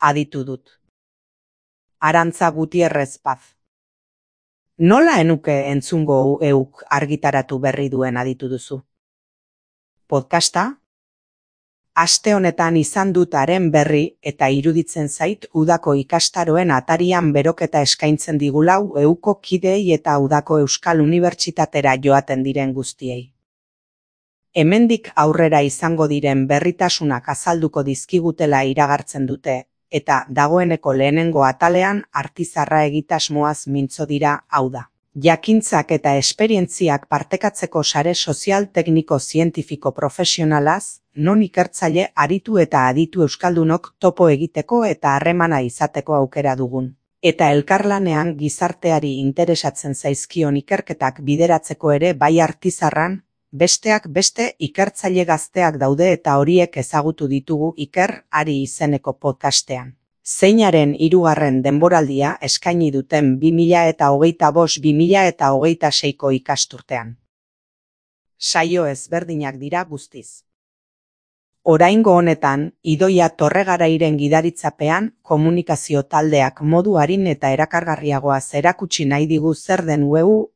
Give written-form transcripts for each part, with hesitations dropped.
aditu dut. Arantza Gutierrez Paz. Nola enuke entzungo euk argitaratu berri duen aditu duzu? Podcasta? Aste honetan izan dut haren berri eta iruditzen zait udako ikastaroen atarian beroketa eskaintzen digulau euko kideei eta udako Euskal Unibertsitatera joaten diren guztiei. Hemendik aurrera izango diren berritasunak azalduko dizkigutela iragartzen dute, eta dagoeneko lehenengo atalean artizarra egitasmoaz mintzo dira, hau da. Jakintzak eta esperientziak partekatzeko sare sozial tekniko zientifiko profesionalaz, non ikertzaile aritu eta aditu euskaldunok topo egiteko eta harremana izateko aukera dugun. Eta elkarlanean gizarteari interesatzen zaizkion ikerketak bideratzeko ere bai artizarran, besteak beste ikertzaile gazteak daude eta horiek ezagutu ditugu Iker Ari izeneko podcastean. Zeinaren 3. denboraldia eskaini duten 2025-2026ko ikasturtean. Saio ezberdinak dira guztiz. Oraingo honetan, Idoia Torregarairen gidaritzapean, komunikazio taldeak modu arin eta erakargarriagoaz erakutsi nahi digu zer den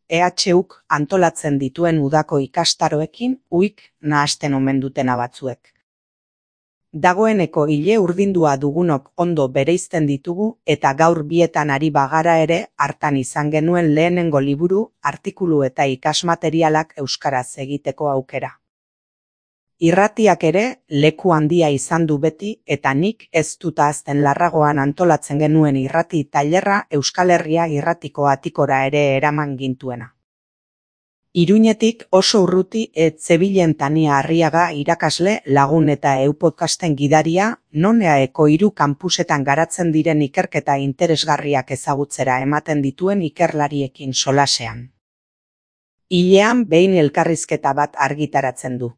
EHUk antolatzen dituen udako ikastaroekin uik nahasten omen dutena batzuek. Dagoeneko ile urdindua dugunok ondo bereizten ditugu eta gaur bietan ari bagara ere hartan izan genuen lehenengo liburu, artikulu eta ikasmaterialak euskaraz egiteko aukera. Irratiak ere leku handia izan du beti eta nik ez dut ahazten Larragoan antolatzen genuen irrati tailerra Euskal Herria irratiko atikora ere eraman gintuena. Iruñetik oso urruti zebilen Tania Arriaga irakasle lagun eta podcasten gidaria, non EAEko 3 kanpusetan garatzen diren ikerketa interesgarriak ezagutzera ematen dituen ikerlariekin solasean. Hilean behin elkarrizketa bat argitaratzen du.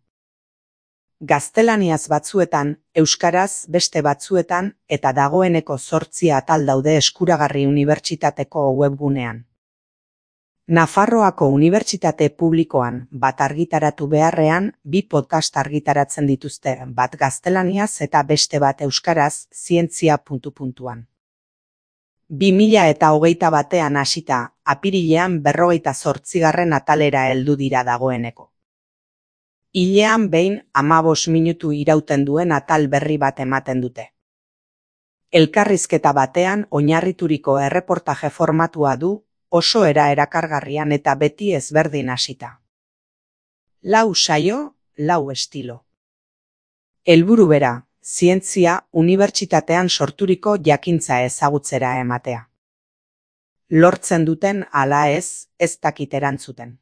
Gaztelaniaz batzuetan, euskaraz beste batzuetan eta dagoeneko 8 atal daude eskuragarri unibertsitateko webgunean. Nafarroako Unibertsitate Publikoan bat argitaratu beharrean 2 podcast argitaratzen dituzte, bat gaztelaniaz eta beste bat euskaraz zientzia ... 2021 hasita, apirilean 58. atalera heldu dira dagoeneko. Hilean behin 15 minutu irauten duen atal berri bat ematen dute. Elkarrizketa batean oinarrituriko erreportaje formatua du, oso erakargarrian eta beti ezberdin hasita. 4 saio, 4 estilo. Helburu bera, zientzia unibertsitatean sorturiko jakintza ezagutzera ematea. Lortzen duten ala ez dakit erantzuten.